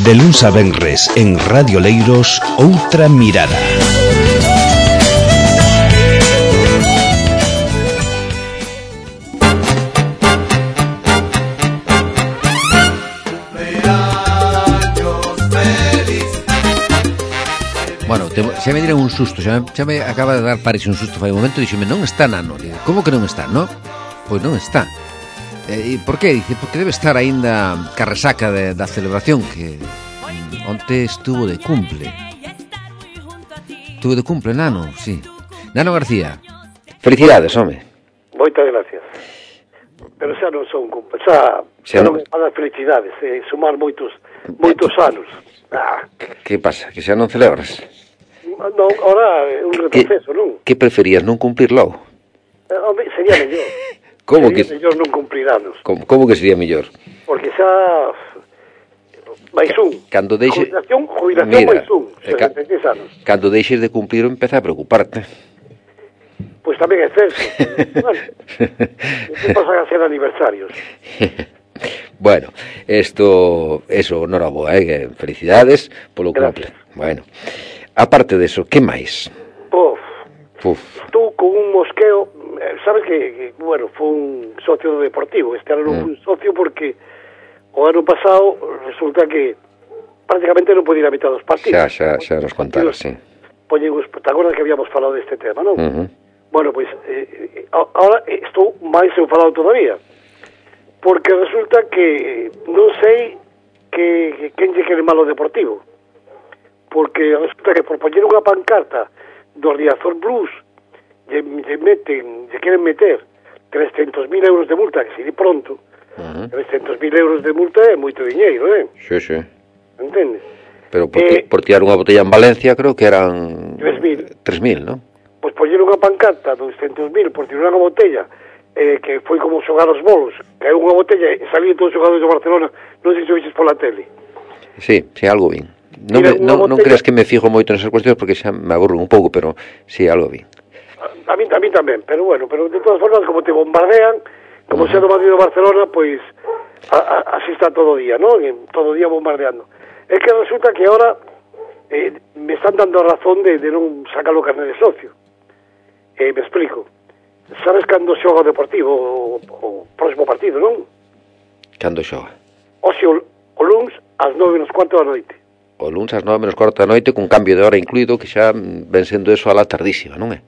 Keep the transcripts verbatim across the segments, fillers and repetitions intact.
De luns a venres en Radio Leiros, Outra Mirada. Bueno, te, xa me dieron un susto, xa me, xa me acaba de dar Paris un susto fai un momento, dixeme, non está Nano. Digo, como que non está, no? Pois non está. E por qué? Dice, porque debe estar aínda ca resaca de, da celebración que mm, onte estuvo de cumple. Estuvo de cumple, Nano, sí. Nano García. Felicidades, home. Moitas gracias. Pero xa non son cumple, xa, xa, xa non me pagan felicidades, eh, sumar moitos moitos anos. Ah. Que pasa? Que xa non celebras? Non, ahora é un retroceso, non? Que preferías, non cumplir logo? Eh, hombre, sería mellor. Como sería que mellor non cumplir anos. Como, como que sería mellor? Porque xa máis un. Cando deixe... Jubilación, jubilación máis un, sesenta e seis anos. Cando deixes de cumplir empeza a preocuparte. Pois pues tamén é certo. Bueno, que pasan a ser aniversarios. Bueno, esto, eso, noraboa, eh? Felicidades polo cumple. Bueno, aparte de eso, que máis? Puf, Puf. Tú con un mosqueo, sabes que, que bueno, foi un socio do Deportivo, este ano non foi mm. un socio porque o ano pasado resulta que prácticamente non podía ir a mitad dos partidos. Xa, xa, xa nos contaras, sí. Poñemos, te acordas que habíamos falado deste tema, non? Uh-huh. Bueno, pois, pues, eh, ahora estou máis enfadado todavía. Porque resulta que non sei que, que quen lle quere mal o Deportivo. Porque resulta que por poñer unha pancarta do Riazor Blues lle, lle meten, lle queren meter trescentos mil euros de multa, que se di pronto. Uh-huh. trescentos mil euros de multa é moito diñeiro, eh? Sí, sí. Entendes? Pero por, eh, por tirar unha botella en Valencia creo que eran tres mil, non? Pois poñer unha pancarta de doscientos mil por tirar unha botella, eh, que foi como xogar os bolos, que é unha botella e salían todos os xogadores do Barcelona, non sei se viches pola tele. Sí, sí, algo bien. Non, me, non, non creas que me fijo moito nesas cuestións porque xa me aburro un pouco, pero sí, algo bien. A, a mí, a mí tamén, pero bueno, pero de todas formas, como te bombardean, como uh-huh. sea do Madrid do Barcelona, pois a, a, así está todo o día, ¿no? Todo o día bombardeando. É que resulta que ahora eh, me están dando a razón de, de non sacar o carné de socio. Eh, me explico. Sabes cando xoga o Deportivo o, o próximo partido, non? Cando xoga? O xe, o, o luns ás nove menos cuarto da noite. O luns ás nove menos cuarto da noite con cambio de hora incluído, que xa ven sendo eso a la tardísima, non é?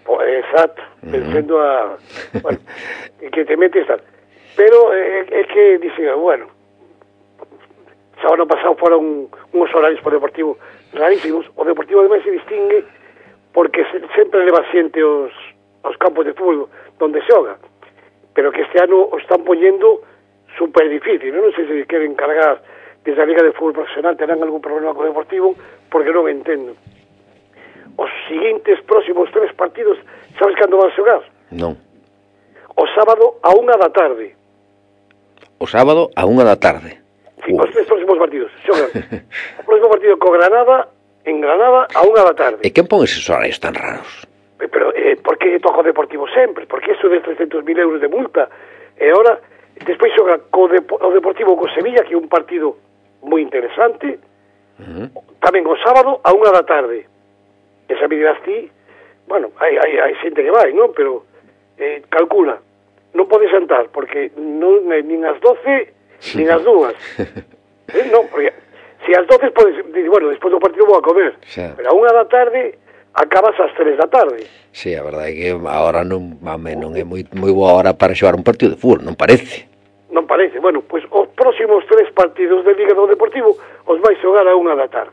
O, exacto, uh-huh. ven sendo a... Bueno, que te metes tal. Pero é eh, que dicen, bueno, xa ano pasado foron uns horarios por Deportivo rarísimos. O Deportivo ademais se distingue porque se, sempre leva xente os... aos campos de fútbol donde xoga, pero que este ano o están poñendo super difícil, non sei se queren cargar desde a Liga de Fútbol Profesional, terán algún problema co Deportivo, porque non entendo. Os seguintes próximos tres partidos, sabes cando van xogar? Non. O sábado a unha da tarde. O sábado a unha da tarde? Sí, Uf. Os tres próximos partidos xogan. O próximo partido co Granada, en Granada a unha da tarde. E quen pon esos horarios tan raros? Pero, eh, por que toca o Deportivo sempre? Porque eso de trescentos mil euros de multa. E ahora, despois xoga co Depo- o Deportivo co Sevilla, que é un partido moi interesante, uh-huh. tamén o sábado a unha da tarde. Esa me dirás ti, bueno, hai, hai, hai xente que vai, non? Pero, eh, calcula, non podes sentar, porque non, nin as doce, nin as dúas. eh, non, porque se as doce podes, bueno, despois do partido vou a comer, sí. Pero a unha da tarde acabas ás tres da tarde. Sí, a verdade é que a hora non, mame, non é moi, moi boa hora para xogar un partido de fútbol, non parece. Non parece. Bueno, pois pues, os próximos tres partidos de Liga do Deportivo os vai xogar a unha da tarde.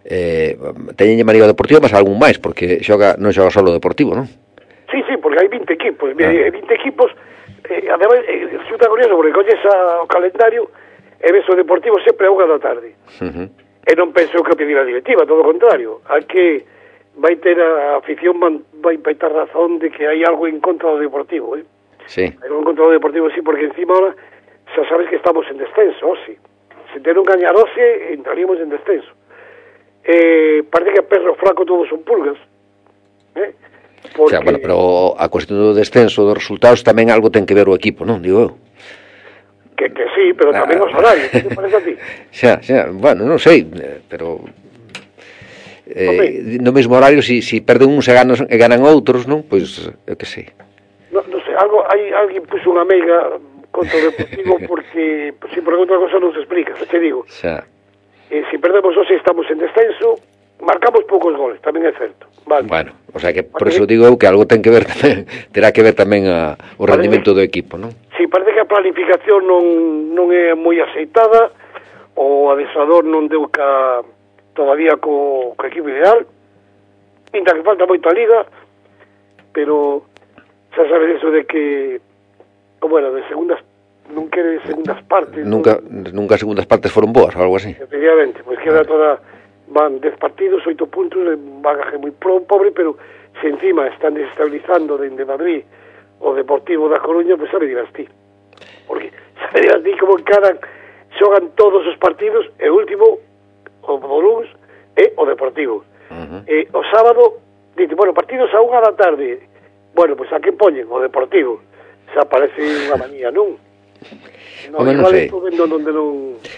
Eh, teñenlle manío Deportivo, mas algún máis, porque xoga non xoga solo o Deportivo, non? Sí, sí, porque hai vinte equipos. Ah. vinte equipos, eh, ademais, eh, resulta curioso, porque colles o calendario e ves o Deportivo sempre a unha da tarde. Uh-huh. E non penso que o pedir a directiva, todo o contrario. Hai que... vai ter a afición, vai, vai ter razón de que hai algo en contra do Deportivo, eh? Sí. Hai algo en contra do Deportivo, sí, porque encima ahora xa sabes que estamos en descenso, sí. Se te non gañar hoxe, entraríamos en descenso. Eh, parece que a perro flaco todos son pulgas, eh? O Porque... sea, bueno, pero a cuestión do descenso dos resultados tamén algo ten que ver o equipo, non? Digo eu. Que, que sí, pero ah, tamén os horarios, que te parece a ti? Xa, xa, bueno, non sei, pero eh, no mesmo horario si, si perden uns e ganan, e ganan outros, non? Pois, eu que sei. No, non sei, algo, hai, alguén puxo unha meiga contra o Deportivo porque, se por outra cosa non se explica, xa te digo. Xa. Eh, se perdemos hoxe estamos en descenso, marcamos poucos goles, tamén é certo. Vale. Bueno, o sea que por eso digo eu que algo ten que ver tamén, terá que ver tamén a, o rendimento do equipo, non? Si, sí, parece que a planificación non, non é moi aceitada, o adestrador non deu ca, todavía co, co equipo ideal, ainda que falta moito a liga, pero xa sabes eso de que, bueno, de segundas, non quere segundas partes. Nunca, non, nunca segundas partes foron boas, ou algo así. Efectivamente, pois queda toda, van dez partidos, oito puntos, un bagaje moi pobre, pero se encima están desestabilizando dende Madrid o Deportivo da Coruña, pois sabe dirás ti. Porque sabe dirás ti como encaran, xogan todos os partidos, e o último, o Luns, é o Deportivo. Uh-huh. E o sábado, dite, bueno, partidos a unha da tarde. Bueno, pois a que poñen? O Deportivo. Xa parece unha manía, non? No, Home, non sei. Non, non...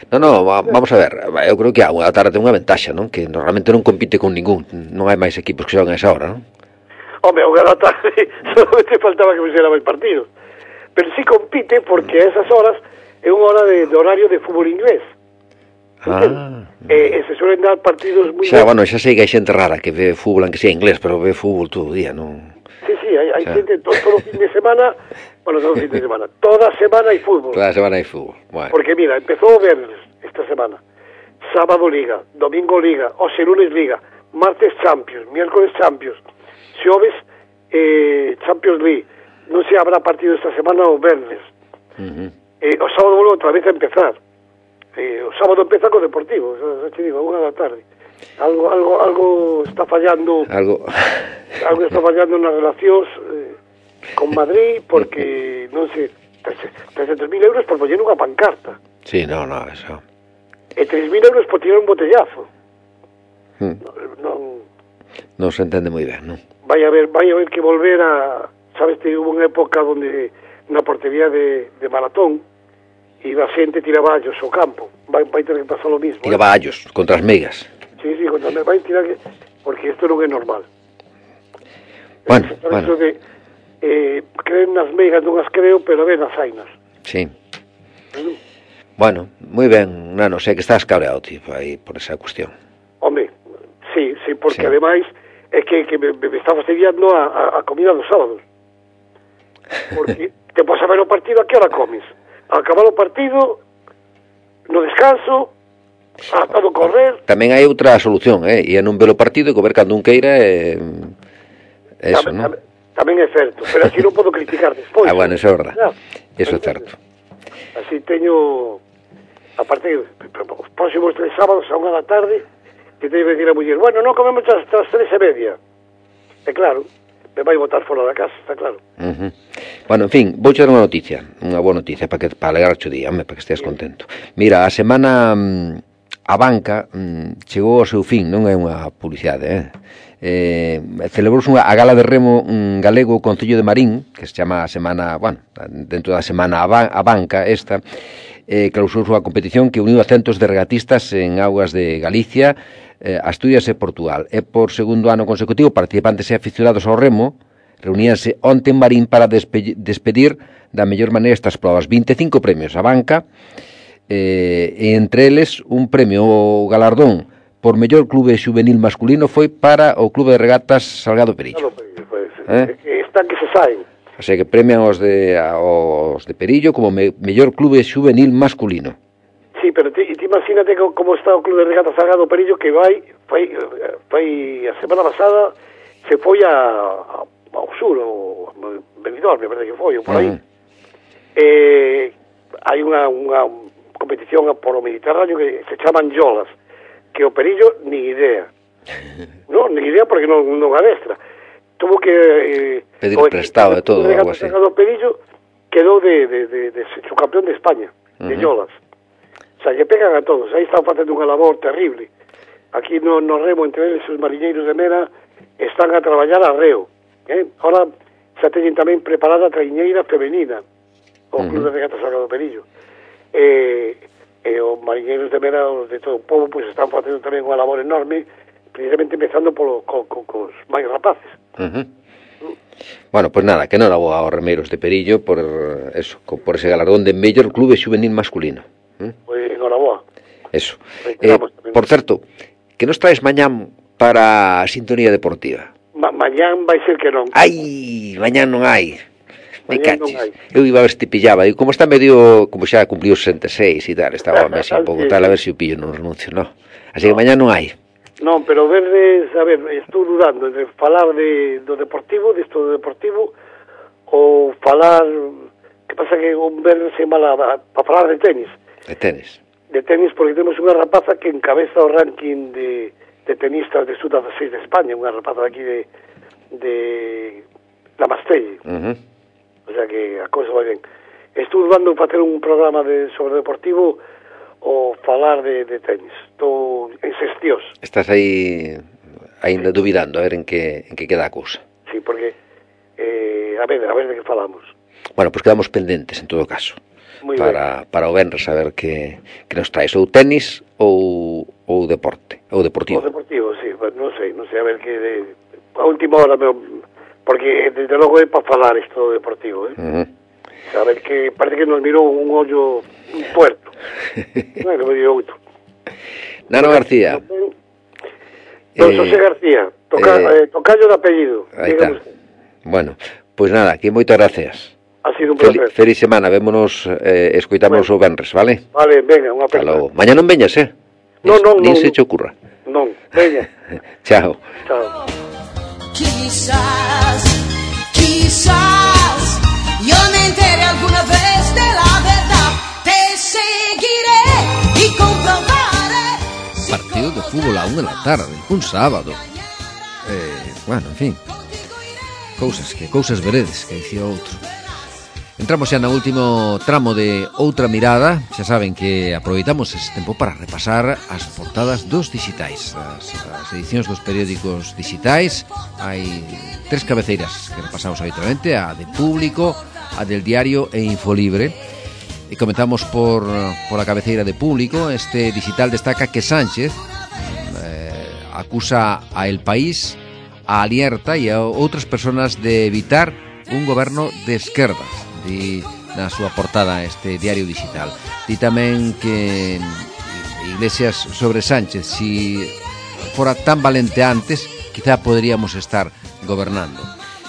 No, no, vamos a ver, eu creo que a unha tarde ten unha ventaxa, non? Que normalmente non compite con ningún, non hai máis equipos que xogan a esa hora, non? Home, a unha da tarde solamente faltaba que fixera máis partidos. Pero sí compite porque a esas horas é unha hora de, de horario de fútbol inglés. Ah. E, e se suelen dar partidos moi... Xa, bueno, xa sei que hai xente rara que ve fútbol, aunque sea inglés, pero ve fútbol todo o día, non? Sí, sí, hai, hai xente todo, todo fin de semana, bueno, todo fin de semana, toda semana hai fútbol. Toda semana hai fútbol, bueno. Porque mira, empezou o viernes esta semana, sábado Liga, domingo Liga, hoxe lunes Liga, martes Champions, miércoles Champions, xoves eh, Champions League, non se habrá partido esta semana o viernes. Uh-huh. Eh, o sábado volve outra vez a empezar. Eh, o sábado empeza co Deportivo, xa te digo, a unha da tarde. Algo algo algo está fallando. Algo algo está fallando nas relacións eh, con Madrid porque non sei, trescentos mil euros por poñer unha pancarta. Sí, no, no, eso. E tres mil euros por tirar un botellazo. Hmm. Non, non non se entende moi ben, non? Vai a ver, vai a ver que volver a, sabes, que hubo unha época onde na portería de, de Maratón iba a xente tiraballos ao campo. Vai, vai ter que pasar o mismo. Tiraballos, eh? Contra as meigas. Sí, sí, contra as meigas. Vai tirar que... Porque isto non é normal. Bueno, eh, bueno. Eso de... Eh, creen nas meigas, non as creo, pero ven as ainas. Sí. ¿Mm? Bueno, moi ben, nano, sei que estás cabreado, tipo, aí, por esa cuestión. Home, sí, sí, porque sí. Ademais é que, que me, me está fastidiando a, a, a comida dos sábados. Porque te podes saber o partido, a que hora comes? A acabar o partido, no descanso, a todo correr. Tamén hai outra solución, eh? E non ver o partido e comer cando un queira e... Eh, eso, tamén, non? Tamén, tamén é certo, pero así non podo criticar despois. Ah, bueno, eso é verdad. No, eso é certo. Así teño... Aparte, os próximos tres sábados a unha da tarde, que teño que decir a muller, bueno, non comemos hasta as tres e media. E claro, me vai botar fora da casa, está claro. Uh-huh. Bueno, en fin, vou dar unha noticia, unha boa noticia para que para alegrar o día, hombre, para que esteas contento. Mira, a semana a banca mm, chegou ao seu fin, non é unha publicidade, eh? Eh, celebrouse unha a gala de remo un galego Concello de Marín, que se chama a semana, bueno, dentro da semana a, ba, a banca esta, eh, clausurou a competición que uniu a centos de regatistas en augas de Galicia, eh, Asturias e Portugal. E por segundo ano consecutivo, participantes e aficionados ao remo reuníanse onte en Marín para despe despedir da mellor maneira estas probas. vinte e cinco premios a banca, eh, e entre eles un premio o galardón por mellor clube xuvenil masculino foi para o Clube de Regatas Salgado Perillo. Pues, eh? Están que se saen. O sea que premian os de, os de Perillo como me, mellor clube xuvenil masculino. Sí, pero ti, ti imagínate como está o Clube de Regatas Salgado Perillo, que vai, vai, vai a semana pasada se foi a, a, ao sur, o Benidorm, me parece que foi, ou por aí. Uh -huh. Eh, hai unha, unha competición por o Mediterráneo que se chaman Yolas, que o Perillo ni idea. Non, ni idea porque non, non adestra. Tuvo que... Eh, pedir prestado de todo, algo así. O Perillo quedou de, de, de, de, de subcampeón de España, uh -huh. de Yolas. O sea, que pegan a todos. Aí están facendo unha labor terrible. Aquí no, no remo, entre eles, os mariñeiros de Mera están a traballar a reo. Eh? Ahora xa teñen tamén preparada a traiñeira femenina, o uh -huh. Club de Regatas Salgado Perillo. e, e os mariñeiros de Mera, os de todo o povo, pois están facendo tamén unha labor enorme, precisamente empezando polo, co, co, cos máis rapaces. Uh-huh. Mm. Bueno, pois pues nada, que non era boa aos remeiros de Perillo por eso, por ese galardón de mellor clube xuvenil masculino. ¿Mm? Pois pues, enhoraboa. Eso. Eh, por certo, que nos traes mañán para a sintonía deportiva? Ma mañán vai ser que non. Ai, mañán non hai. Me caches. Eu iba a ver se te pillaba. E como está medio, como xa cumpliu sesenta e seis e tal, estaba así un pouco tal, a ver se o pillo non renuncio, non. Así que mañán non hai. Non, pero verdes, a ver, estou dudando entre falar de, do deportivo, disto do deportivo, ou falar, que pasa que un verde se mala para falar de tenis. De tenis. De tenis, porque temos unha rapaza que encabeza o ranking de, de tenistas de sub dezasseis de España, unha rapaza daqui de, de la Mastelle. Uh -huh. O sea que a cousa vai ben. Estou dudando para ter un programa de sobre deportivo ou falar de, de tenis. Estou en sestiós. Estás aí ainda sí. dubidando a ver en que, en que queda a cousa. Sí, porque eh, a ver, a ver de que falamos. Bueno, pues quedamos pendentes en todo caso. Muy para, ben. para o venres a ver que, que nos traes ou tenis ou, ou deporte, ou deportivo. O deportivo, sí, pues non sei, non sei, a ver que de, a última hora, meu, porque desde logo é para falar isto deportivo, eh? Uh -huh. A ver que parece que nos mirou un ollo un puerto. Bueno, me dio outro. Nano García. Don José eh, García, toca, eh, eh, tocayo de apellido. Aí está. Bueno, pois pues nada, aquí moitas gracias. Ha sido un placer. Fel, feliz semana, vémonos, eh, escoitamos bueno. o venres, vale? Vale, venga, unha aperta. Mañá non veñas, eh? Non, non, Nin non. se che ocurra. Non, veña. Chao. Chao. Quizás, quizás, yo me entere alguna vez de la verdad. Te seguiré y comprobaré. Partido de fútbol a unha da tarde, un sábado. Eh, bueno, en fin. Cousas que, cousas veredes, que dicía outro. Entramos xa no último tramo de Outra Mirada. Xa saben que aproveitamos ese tempo para repasar as portadas dos digitais, as, as edicións dos periódicos digitais. Hai tres cabeceiras que repasamos habitualmente: a de Público, a del Diario e Infolibre. E comentamos por, por a cabeceira de Público. Este digital destaca que Sánchez eh, acusa a El País, a Alerta e a outras persoas de evitar un goberno de esquerdas. Di na súa portada este diario digital. Di tamén que Iglesias sobre Sánchez, si fora tan valente antes, quizá poderíamos estar gobernando.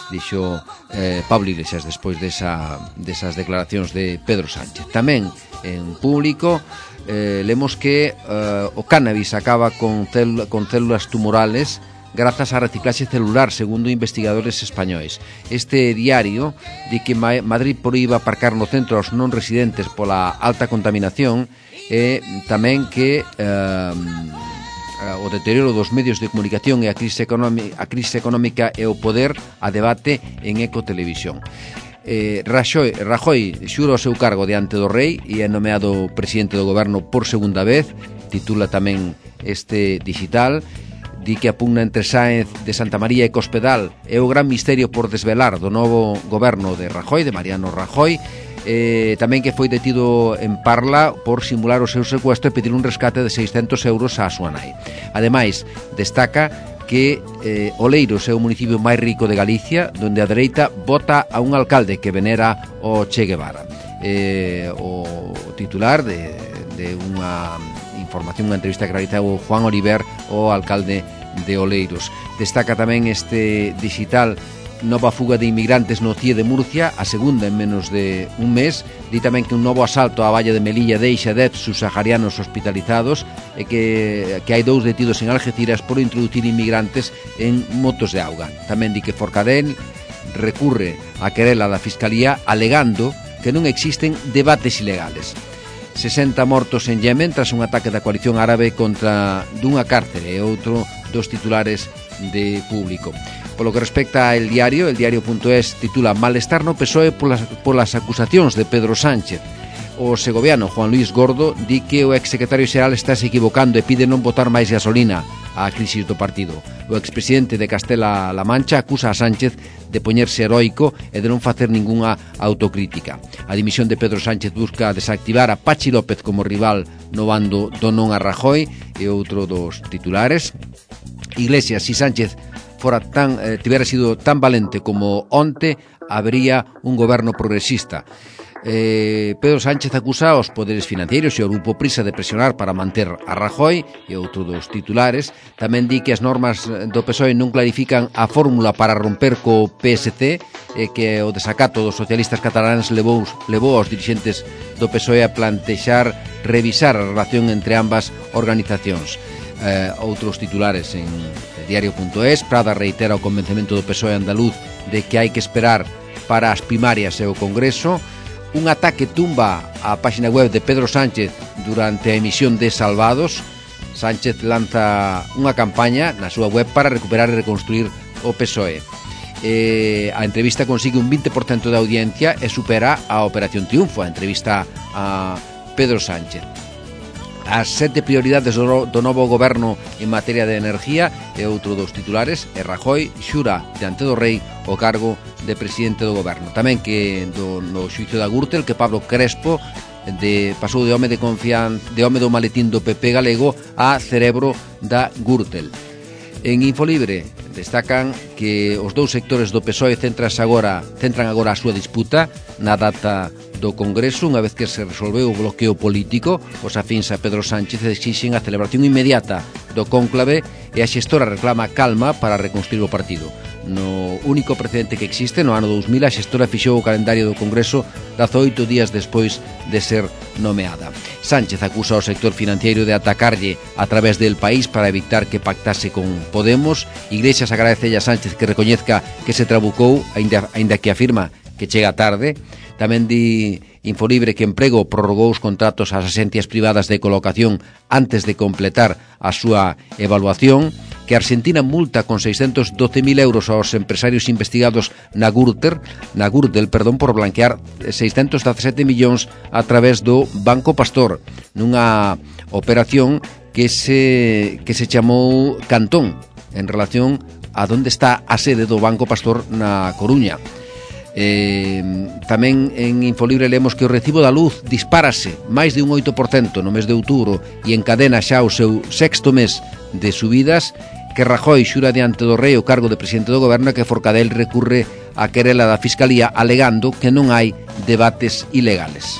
Dixo eh, Pablo Iglesias despois desa, desas declaracións de Pedro Sánchez. Tamén en Público eh, lemos que eh, o cannabis acaba con, célula, con células tumorales grazas á reciclaxe celular, segundo investigadores españois. Este diario di que Madrid proíba aparcar no centro aos non residentes pola alta contaminación e tamén que eh, o deterioro dos medios de comunicación e a crise económica, a crise económica e o poder a debate en Ecotelevisión. Eh, Rajoy, Rajoy xura o seu cargo diante do rei e é nomeado presidente do goberno por segunda vez, titula tamén este digital. Di que a pugna entre Sáenz de Santa María e Cospedal é o gran misterio por desvelar do novo goberno de Rajoy, de Mariano Rajoy. Eh, tamén que foi detido en Parla por simular o seu secuestro e pedir un rescate de seiscentos euros á súa nai. Ademais, destaca que eh, Oleiros é o municipio máis rico de Galicia, donde a dereita vota a un alcalde que venera o Che Guevara. Eh, o titular de, de unha información, unha entrevista que realizou Juan Oliver, o alcalde de Oleiros. Destaca tamén este digital nova fuga de inmigrantes no C I E de Murcia, a segunda en menos de un mes. Di tamén que un novo asalto á valla de Melilla deixa dez subsaharianos hospitalizados e que, que hai dous detidos en Algeciras por introducir inmigrantes en motos de auga. Tamén di que Forcadell recurre a querela da Fiscalía alegando que non existen debates ilegales. sesenta mortos en Yemen tras un ataque da coalición árabe contra dunha cárcel e outro dos titulares de Público. Polo que respecta ao diario, el diario punto es titula Malestar no P S O E polas, polas acusacións de Pedro Sánchez. o segoviano Juan Luis Gordo di que o exsecretario xeral está se equivocando e pide non botar máis gasolina á crisis do partido. O expresidente de Castela-La Mancha acusa a Sánchez de poñerse heroico e de non facer ningunha autocrítica. A dimisión de Pedro Sánchez busca desactivar a Pachi López como rival no bando do non a Rajoy e outro dos titulares. Iglesias, si Sánchez fora tan, eh, tivera sido tan valente como onte, habría un goberno progresista. Eh, Pedro Sánchez acusa aos poderes financeiros e ao grupo Prisa de presionar para manter a Rajoy e outro dos titulares. Tamén di que as normas do P S O E non clarifican a fórmula para romper co P S C e que o desacato dos socialistas cataláns levou, levou aos dirixentes do P S O E a plantexar revisar a relación entre ambas organizacións. Eh, outros titulares en diario punto es. Prada reitera o convencemento do P S O E andaluz de que hai que esperar para as primarias e o Congreso. Un ataque tumba a página web de Pedro Sánchez durante a emisión de Salvados. Sánchez lanza unha campaña na súa web para recuperar e reconstruir o P S O E. Eh, a entrevista consigue un vinte por cento de audiencia e supera a Operación Triunfo, a entrevista a Pedro Sánchez. As sete prioridades do, do novo goberno en materia de energía e outro dos titulares é Rajoy xura diante do rei o cargo de presidente do goberno. Tamén que do, no xuicio da Gürtel que Pablo Crespo de, pasou de home de confianza, de home do maletín do P P galego a cerebro da Gürtel. En Infolibre destacan que os dous sectores do P S O E centran agora, centran agora a súa disputa na data do Congreso. Unha vez que se resolveu o bloqueo político, os afíns a Pedro Sánchez exixen a celebración inmediata do cónclave e a xestora reclama calma para reconstruir o partido. No único precedente que existe, no ano dous mil, a xestora fixou o calendario do Congreso dezaoito días despois de ser nomeada. Sánchez acusa ao sector financiero de atacarlle a través del país para evitar que pactase con Podemos. Iglesias agradece a Sánchez que recoñezca que se trabucou, aínda, aínda que afirma que chega tarde. Tamén di Infolibre que Emprego prorrogou os contratos ás axencias privadas de colocación antes de completar a súa evaluación, que Argentina multa con seiscentos doce mil euros aos empresarios investigados na Gürtel, na Gürtel, perdón, por blanquear seiscentos dezasete millóns a través do Banco Pastor, nunha operación que se, que se chamou Cantón, en relación a onde está a sede do Banco Pastor na Coruña. Eh, tamén en Infolibre leemos que o recibo da luz dispárase máis de un oito por cento no mes de outubro e encadena xa o seu sexto mes de subidas, que Rajoy xura diante do rei o cargo de presidente do goberno e que Forcadell recurre a querela da Fiscalía alegando que non hai debates ilegales.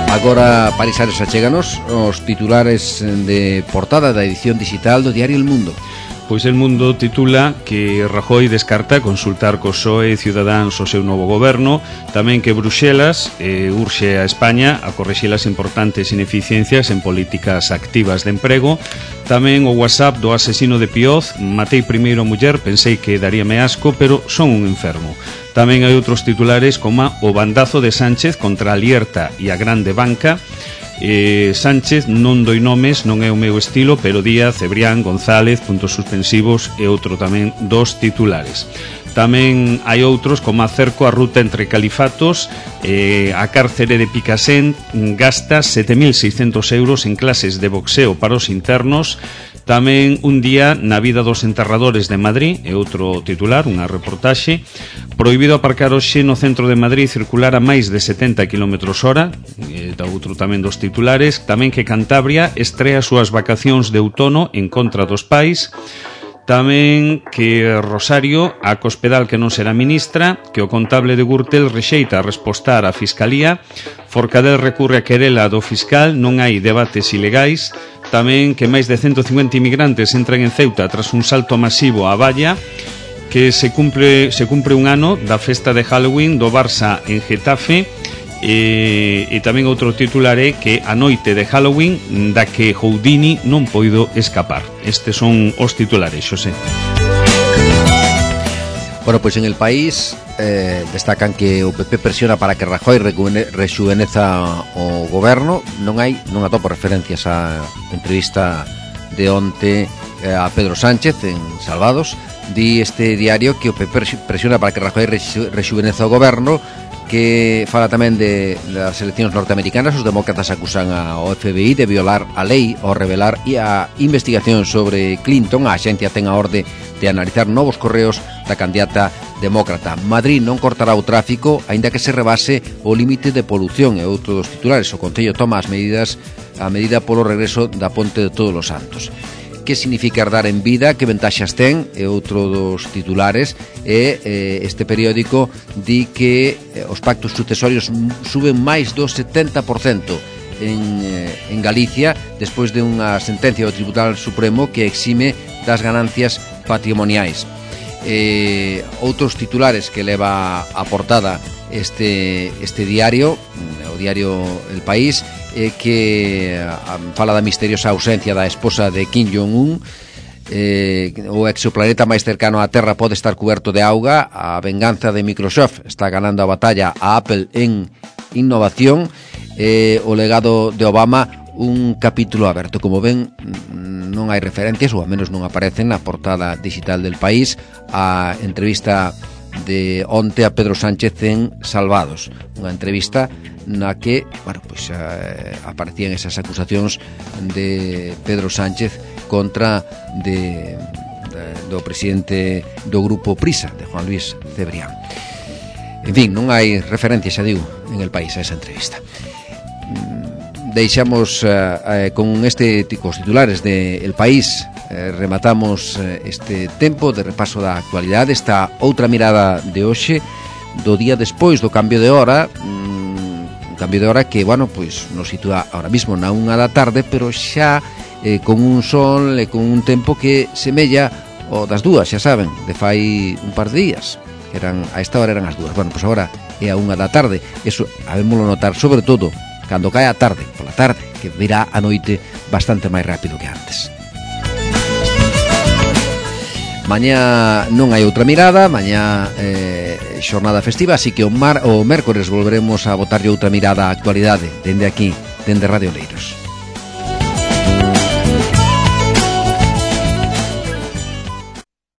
Agora, Parisares, achéganos os titulares de portada da edición digital do diario El Mundo. Pois El Mundo titula que Rajoy descarta consultar co P S O E e Ciudadanos o seu novo goberno, tamén que Bruxelas eh, urxe a España a corrixir as importantes ineficiencias en políticas activas de emprego, tamén o WhatsApp do asesino de Pioz, matei primeiro a muller, pensei que daríame asco, pero son un enfermo. Tamén hai outros titulares como o bandazo de Sánchez contra a Lierta e a grande banca. Eh, Sánchez non doi nomes, non é o meu estilo, pero Díaz, Cebrián, González, puntos suspensivos e outro tamén dos titulares. Tamén hai outros como acerco a ruta entre califatos, eh, a cárcere de Picassent gasta sete mil seiscentos euros en clases de boxeo para os internos. Tamén un día na vida dos enterradores de Madrid, é outro titular, unha reportaxe. Prohibido aparcar hoxe no centro de Madrid circular a máis de setenta kilómetros hora, é outro tamén dos titulares. Tamén que Cantabria estrea as súas vacacións de outono en contra dos pais. Tamén que Rosario, a Cospedal que non será ministra, que o contable de Gürtel rexeita respostar á Fiscalía. Forcadell recurre a querela do fiscal, non hai debates ilegais. Tamén que máis de ciento cincuenta inmigrantes entran en Ceuta tras un salto masivo á valla, que se cumpre, se cumpre un ano da festa de Halloween do Barça en Getafe, e, e tamén outro titular é que a noite de Halloween da que Houdini non poido escapar. Estes son os titulares, Xosé. Bueno, pois en El País eh, destacan que o P P presiona para que Rajoy rexuveneza o goberno. Non hai, non atopo referencias á entrevista de onte eh, a Pedro Sánchez en Salvados. Di este diario que o P P presiona para que Rajoy rexuveneza o goberno, que fala tamén de das eleccións norteamericanas. Os demócratas acusan ao F B I de violar a lei ao revelar e a investigación sobre Clinton. A axencia ten a orde de analizar novos correos da candidata demócrata. Madrid non cortará o tráfico aínda que se rebase o límite de polución. E outro dos titulares: o Concello toma as medidas a medida polo regreso da Ponte de Todos os Santos. Que significa herdar en vida, que ventaxas ten, é outro dos titulares. E eh, este periódico di que eh, os pactos sucesorios suben máis do setenta por cento en, eh, en Galicia, despois de unha sentencia do Tribunal Supremo que exime das ganancias patrimoniais. Eh, outros titulares que leva a portada este, este diario, o diario El País, eh, que um, fala da misteriosa ausencia da esposa de Kim Jong-un. Eh, o exoplaneta máis cercano á Terra pode estar cuberto de auga. A venganza de Microsoft está ganando a batalla a Apple en innovación. Eh, o legado de Obama, un capítulo aberto. Como ven, non hai referencias, ou ao menos non aparecen na portada digital del País, a entrevista de onte a Pedro Sánchez en Salvados, unha entrevista na que, bueno, pois eh, aparecían esas acusacións de Pedro Sánchez contra de, de do presidente do grupo Prisa, de Juan Luis Cebrián. En fin, non hai referencias, xa digo, en El País a esa entrevista. Deixamos eh, eh, con este cos titulares de El País. eh, rematamos eh, este tempo de repaso da actualidade, esta outra mirada de hoxe, do día despois do cambio de hora. mm, un cambio de hora que, bueno, pois nos sitúa ahora mismo na unha da tarde, pero xa eh, con un sol e con un tempo que semella o das dúas, xa saben, de fai un par de días, que eran, a esta hora eran as dúas. Bueno, pois agora é a unha da tarde. Eso habémoslo notar sobre todo cando cae a tarde, pola tarde, que virá a noite bastante máis rápido que antes. Mañá non hai outra mirada, mañá eh, xornada festiva, así que o, mar, o mércores volveremos a botarlle outra mirada á actualidade, dende aquí, dende Radio Leiros.